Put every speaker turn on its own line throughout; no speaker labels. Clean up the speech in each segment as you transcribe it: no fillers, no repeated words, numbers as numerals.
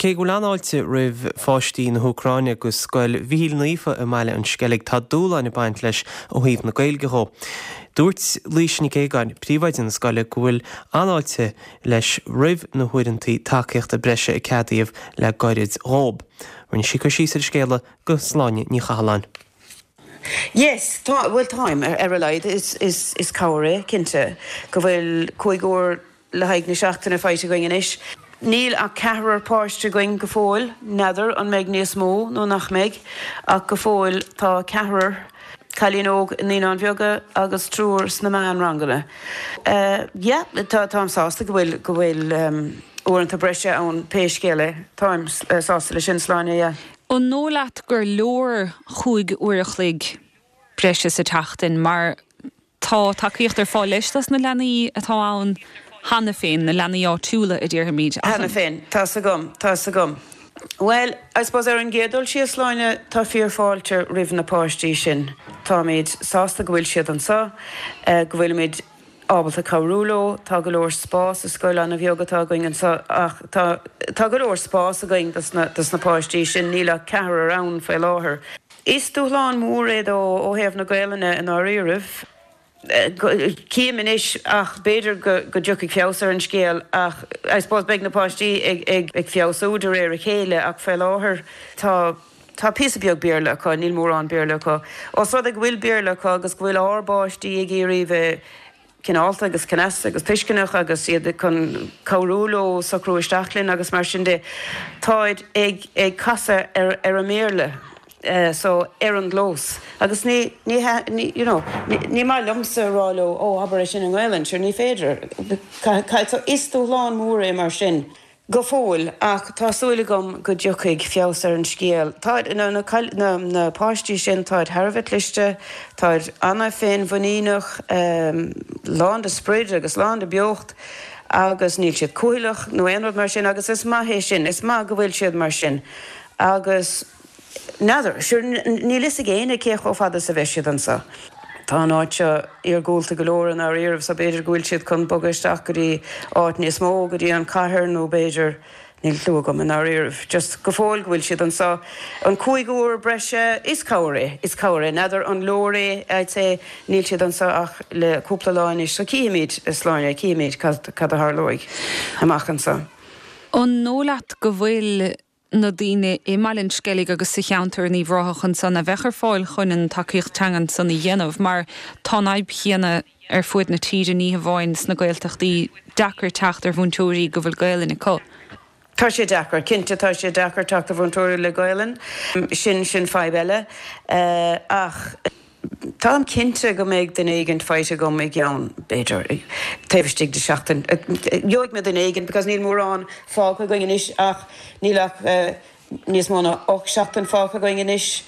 cé go bhfuil an-fháilte roimh pháistí na hÚcráine go Scoil Mhichíl Naofa i mBaile an Sceilg, tá dúshláin ag baint leis ó thaobh na Gaeilge dhó. Dúirt Laoise Nic Aogáin, príomhoide na scoile, go bhfuil an-fháilte leis roimh na huaireanta tacaíochta breise a ceadaíodh le gairid dhób. Rinne sí cur síos ar an scéala go Sláine Ní Chathalláin.
Yes, tá, bhuel táim, ar a laghad, is, is, is cabhair é, cinnte, go bhfuil 5 uair le haghaidh na seachtaine faighte againn anois. Níl ach ceathrar páiste againn go fóill, n'fheadar an mbeidh níos mó nó nach mbeidh, ach go fóill tá ceathrar, cailín óg i Naíonáin Bheaga agus triúr sna meánranganna. Yeah, tá, táim sásta go bhfuil, go bhfuil uaireanta breise ann pé scéal é. Táim sásta leis sin, Sláine, yeah.
An dóigh leat gur leor chúig uair a chloig breise sa tseachtain mar Tá tacaíocht ar fáil leis dos na leanaí atá ann cheana féin, na leanaí áitiúla a déarfaimid,
ach an. Cheana féin, tá's agam, tá's agam. Bhuel, I suppose ar an gcéad dul síos, Sláine, tá fíorfháilte roimh na páistí sin. Táimid sásta go bhfuil siad anseo, go bhfuilimid ábalta cabhrú leo. Tá go leor spás, is scoil an-bheag atá againn anseo ach tá, tá go leor spás againn dos na, dos na páistí sin, níl ach ceathrar ann faoi láthair. Is dúshlán mór é dó ó thaobh na Gaelainne i ndáiríribh. Cím anois ach b'fhéidir go dtiocfaidh feabhas ar an scéal ach I suppose beidh na páistí ag feabhsú de réir a chéile ach fé láthair tá tá píosa beag Béarla acu, níl mórán Béarla acu. Ós rud é go bhfuil Béarla acu agus go bhfuil ár bpáistí ag iarraidh bheith cineálta agus cneasta agus tuisceanach agus iad chun cabhrú leo socrú isteach linn agus mar sin de. Táid ag ag casadh ar ar an mBéarla so ar an gclós agus ní ní ní you know ní maith liomsa a rá leo oh abair é sin i nGaelainn, sure ní féidir. So is dúshlán mór é mar sin. Go fóill, ach tá súil agam go dtiocfaidh feabhas ar an scéal. Táid, na, na, na, na páistí sin, táid thar a bheith cliste, táid ana-fhéinmhuiníneach, lán de sprid agus lán de beocht agus níl siad cúthaileach nó aon rud mar sin agus is maith é sin, is maith go bhfuil siad mar sin agus. N'fheadar. Sure, níl fhios ag éinne cé chomh fada is a bheidh siad anso. Tá an áit seo iargúlta go leor i ndáiríribh so b'fhéidir go bhfuil siad chun bogadh isteach go dtí áit níos mó, go dtí an chathair nó b'fhéidir, níl clue agam i ndáiríribh. Just go fóill go bhfuil siad anso. An 5 uair breise, is cabhair é, is cabhair é. N'fheadar an leor é, I'd say, níl siad anso ach le cúpla lá anois so cífimid, a Shláine, cífimid cad, cad a tharlóidh amach anso.
An dóigh leat go bhfuil na daoine i mBaile an Sceilg agus sa cheantar in Uíbh Ráthach ansan a bheadh ar fáil chun an tacaíocht teangan san a dhéanamh mar tá an fhadhb chéanna ar fuaid na tíre, ní hamháin sna Gaeltachtaí, deacair teacht ar mhúinteoirí go bhfuil Gaelainn acu.
Tá sé deacair, cinnte tá sé deacair teacht ar mhúinteoirí le Gaelainn, sin, sin fadhb eile ach. Táim cinnte go mbeidh duine éigint faighte agam i gceann, b'fhéidir, taobh istigh de sheachtain. Gheobhaidh mé duine éigint because níl mórán fágtha againn anois ach níl ach níos mó ná 8 seachtain fágtha againn anois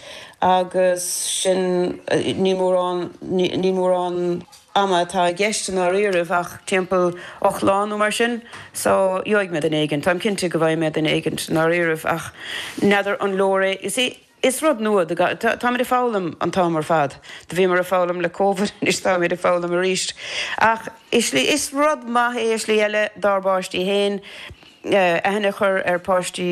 agus sin, ní mórán, ní mórán ama atá i gceist i ndáiríribh ach timpeall 8 lá nó mar sin. So, gheobhaidh mé duine éigint. Táim cinnte go bhfaighidh mé duine éigint i ndáiríribh ach n'fheadar an leor é. You see, Is rud nua do gach, táimid ag foghlaim an t-am ar fad. Do bhíomar ag foghlaim le Covid, anois táimid ag foghlaim arís. Ach i slí, is rud maith é i slí eile dár bpáistí féin, aithne a chur ar pháistí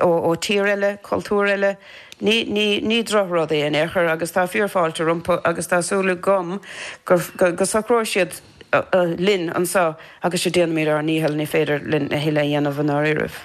ó tír eile, cultúr eile. Ní, ní, ní drochrud é in aon chor agus tá fíorfháilte rompu agus tá súil agam go, go socróidh siad linn anseo agus déanfaimid ár ndícheall, ní féidir linn a thuilleadh a dhéanamh i ndáiríribh.